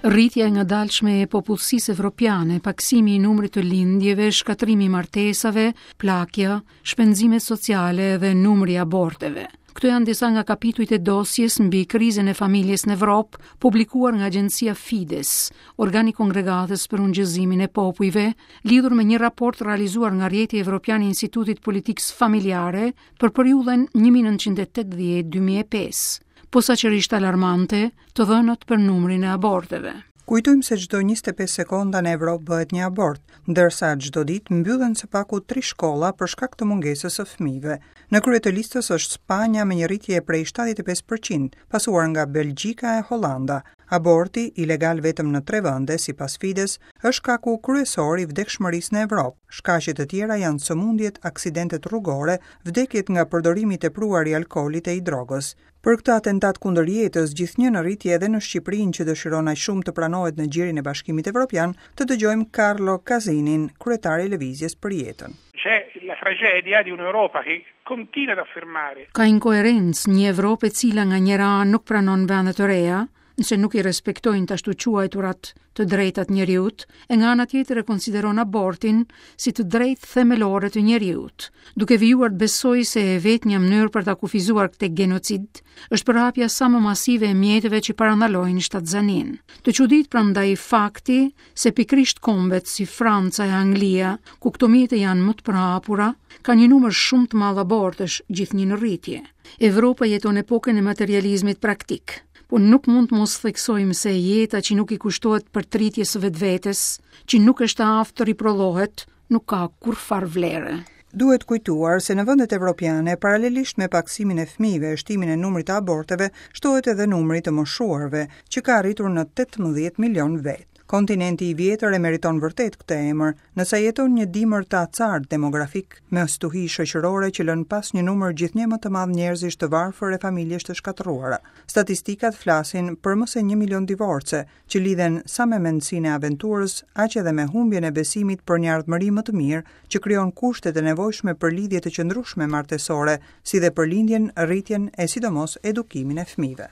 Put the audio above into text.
Rritja e ngadalshme e popullsisë evropiane, pakësimi i numrit të lindjeve, shkatërrimi i martesave, plakja, shpenzimet sociale dhe numri i aborteve. Këto janë disa nga kapitujt e dosjes mbi krizën e familjes në Evropë, publikuar nga agjencia Fides, organi i Kongregatës për Ungjillëzimin e Popujve, lidhur me një raport realizuar nga Rrjeti Evropian i Institutit të Politikës Familjare për periudhën 1980-2005. Posaçërisht alarmante, të dhënat për numrin e aborteve. Kujtojmë se çdo 25 sekonda në Evropë bëhet një abort, ndërsa çdo ditë mbyllen së paku tri shkolla për shkak të mungesës së fëmijëve. Në krye të listës është Spanja me një rritje prej 75 për qind, pasuar nga Belgjika e Holanda. Aborti, ilegal vetëm në tre vende, sipas Fides, është shkaku kryesor i vdekshmërisë në Evropë. Shkaqe të tjera janë sëmundjet, aksidentet rrugore, vdekjet nga përdorimi i tepruar i alkoolit e i drogës. Për këtë atentat kundër jetës, gjithnjë në rritje edhe në Shqipërinë që dëshiron aq shumë të pranohet në gjirin e Bashkimit Evropian, të dëgjojmë Carlo Casinin, kryetar i Lëvizjes për Jetën. C'è la tragedia di un'Europa che continua ad affermare. Ka inkoherencë, një Evropë e cila nga njëra anë nuk pranon vende të reja, nëse nuk i respektojnë të ashtuquajturat të drejtat e njeriut, e nga ana tjetër e konsideron abortin si të drejtë themelore të njeriut, duke vijuar të besojë se e vetmja mënyrë për ta kufizuar këtë gjenocid është përhapja sa më masive e mjeteve që parandalojnë shtatzaninë. Të çudit prandaj fakti se pikërisht kombet si Franca e Anglia, ku këto mjete janë më të përhapura, kanë një numër shumë të madh abortesh gjithnjë në rritje. Evropa jeton epokën e materializmit praktik. Por nuk mund të mos theksojmë se jeta që nuk i kushtohet përtëritjes së vetvetes, që nuk është e aftë të riprodhohet, nuk ka kurrfarë vlere. Duhet kujtuar se në vendet evropiane, paralelisht me pakësimin e fëmijëve e shtimin e numrit të aborteve, shtohet edhe numri i të moshuarve, që ka arritur në 18 milionë vetë. Kontinenti i vjetër e meriton vërtet këtë emër, nëse jeton një dimër të acartë demografik, me stuhi shoqërore që lënë pas një numër gjithnjë më të madh njerëzish të varfër e familjesh të shkatërruara. Statistikat flasin për më se një milion divorce, që lidhen sa me mendësinë e aventurës, aq edhe me humbjen e besimit për një ardhmëri më të mirë, që krijon kushtet e nevojshme për lidhje të qëndrueshme martesore, si dhe për lindjen, rritjen e sidomos edukimin e fëmijëve.